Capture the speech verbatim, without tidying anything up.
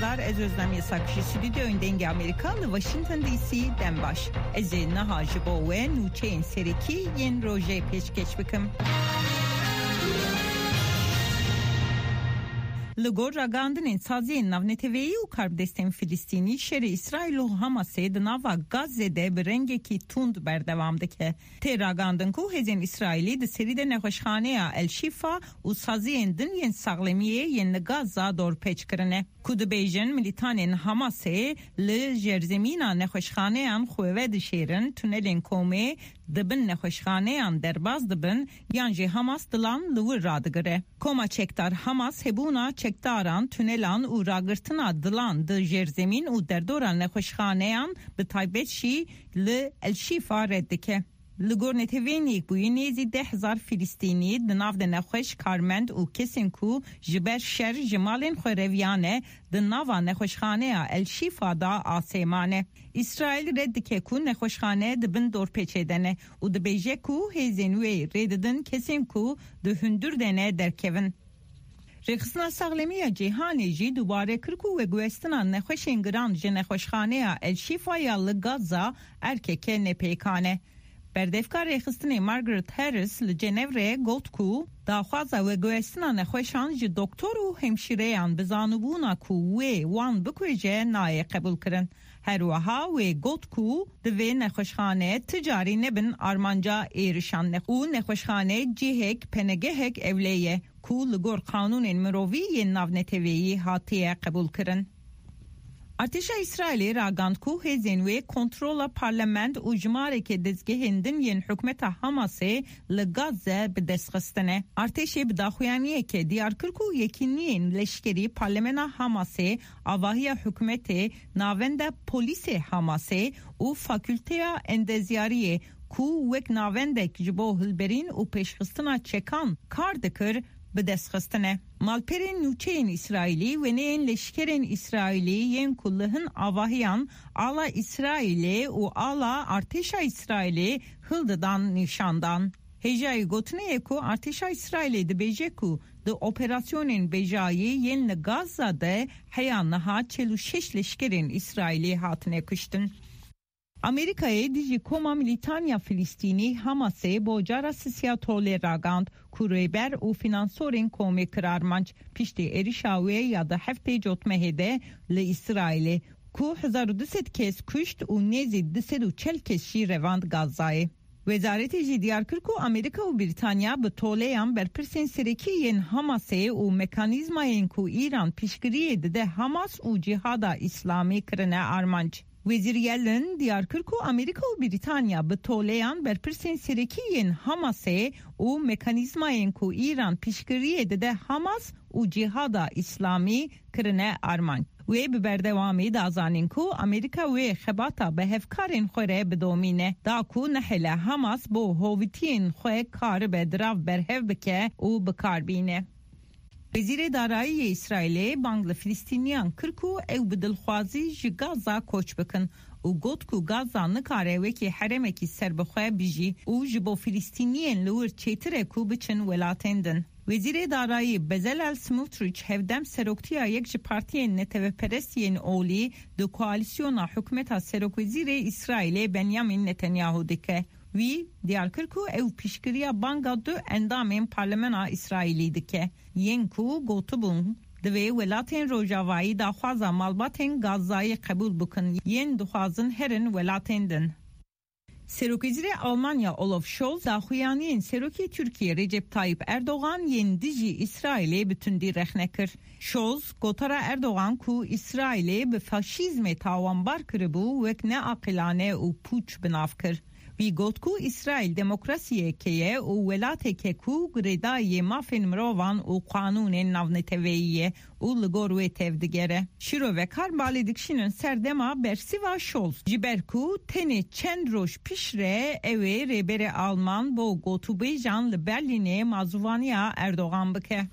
Ez Özlem Yasak ji Stûdyoyên Dengê Amerîka li Washington D C dem baş. Ez ê niha ji bo we nûçeyên serekî yên rojê pêşkêş bikim. Li gor ragihandinên saziyên navneteweyî û karbidestên Filistînî, şerê Îsraîl û Hamasê di nava Gazze de bi rengekî tund berdewam dike. Tê ragihandin ku hêzên Îsraîlî di serî de nexweşxaneya El Şîfa û saziyên din yên saxlemiyê yên li Gaza dorpêç kirine. Ku dibêjin, milîtanên Hamasê li jerzemîna nexweşxaneyan xwe vedişêrin, tunelên komê di bin nexweşxaneyan derbas dibin, yan jî Hamas dilan li wir radigire. Koma çekdar Hamas hebûna çekdaran, tunelan û ragirtina dilan di jerzemîn û derdora nexweşxaneyan, bi taybet jî li El Şîfa, red dike. Li gor Neteweyên Yekbûyî, nêzî deh hezar Filistînî di nav de nexweş, karmend û kesên ku ji ber şer ji malên xwe reviyane, di nava nexweşxaneya El Şîfa de asê mane. Îsraîl red dike ku nexweşxane di bin dorpêçê de ne û dibêje ku hêzên wê rê didin kesên ku di hundir de ne derkevin. Rêxistina Saxlemî ya Cîhanê jî dubare kir ku veguhestina nexweşên giran ji nexweşxaneya El Şîfa ya li Gaza erkeke nepêkan e. Berdevka rêxistinê Margaret Harris li Cenevre got ku daxwaza veguhestina nexweşan ji doktor û hemşîreyan bi zanîbûna ku wê wan bikuje nayê qebûlkirin. Her wiha wê got ku divê nexweşxane ti carî nebin armanca êrişan ne û nexweşxane cihek, penegehek ewle ye ku li gor qanûnên mirovî yên navneteweyî hatiye qebûlkirin. Artêşa Îsraîlê ragand ku hêzên wê kontrola parlament û jimareke dezgehên din yên hikûmeta Hamasê li Gazze bi dest xistine. Artêşê bi daxuyaniyeke diyar kir ku yekîniyên leşkerî parlemena Hamasê, avahiya hikûmetê, navenda polîsê Hamasê û fakulteya endezyariyê ku wek navendek ji bo hilberîn û pêşxistina çekan kar dikir, bi dest xistine. Malperên nûçeyên Îsraîlî, wêneyên leşkerên Îsraîlî yên ku li hin avahiyan ala Îsraîlê û ala artêşa Îsraîlê hildidan, nîşan dan. Hêjayî gotinê ye ku artêşa Îsraîlê dibêje ku di operasyonên bêjayî yên li Gaza de heya niha çil û şeş leşkerên Îsraîlî hatine kuştin. Amerîkayê dijî koma milîtan ya Filistînî Hamasê bo cara sisiya tolê ragand ku rêber û finansorên komê kir armanc piştî êrişa wê ya di heftê cotmehê de li Îsraîlê ku hezar û du sed kes kuşt û nêzî du sed û çel kes jî revand Gazayê. Wezaretê jî diyar kir ku Amerîka û Brîtanya bi toleyan berpirsên serekî yên Hamasê û mekanîzmayên ku Îran piştgiriyê dide Hamas û Cîhada Îslamî kirine armanc. Wezîr Yellen diyar kir ku Amerîka û Brîtanya bi toleyan berpirsên serekî yên Hamasê û mekanîzmayên ku Îran piştgiriyê dide Hamas û Cîhada Îslamî kirine armanc. Wê bi berdewamî da zanîn ku Amerîka wê xebata bi hevkarên xwe re bidomîne, da ku nehêle Hamas bo hovitiyên xwe karibe dirav berhev bike û bi kar bîne. Wezîrê Darayî yê Îsraîlê bang li Filistîniyan kir ku ew bi dilxwazî ji Gaza koç bikin û got ku Gaza nikare wekî herêmekî serbixwe bijî û ji bo Filistîniyên li wir çêtir e ku biçin welatên din. Wezîrê Darayî Bezalel Smotrich hevdem seroktiya yek ji partiyên neteweperest yên olî di koalîsyona hikûmeta serokwezîrê Îsraîlê Benyamin Netanyahu dike. Wî diyar kir ku ew piştgiriya banga du endamên parlemena Îsraîlî dike, yên ku gotibûn, divê welatên rojavayî daxwaza malbatên Gazayê qebûl bikin, yên dixwazin herin welatên din. Serokwezîrê Almanya Olaf Scholz daxuyaniyên Serokê Tirkiyê Recep Tayyip Erdogan yên dijî Îsraîlê bi tundî rexne kir. Scholz gotara Erdogan ku Îsraîlê bi faşîzmê tawanbar kiribû, wek neaqilane û pûç bi nav kir. Wî got ku Îsraîl demokrasiyeke ye û welateke ku girêdayî yê mafên mirovan û qanûnên navneteweyî ye û li gor wê tevdigere. Şîrovekar balê dikişînin ser dema bersiva Scholz, ji ber ku tenê çend roj piştre ew ê rêberê Alman bo gotûbêjan li Berlînê mazûvaniya Erdogan bike.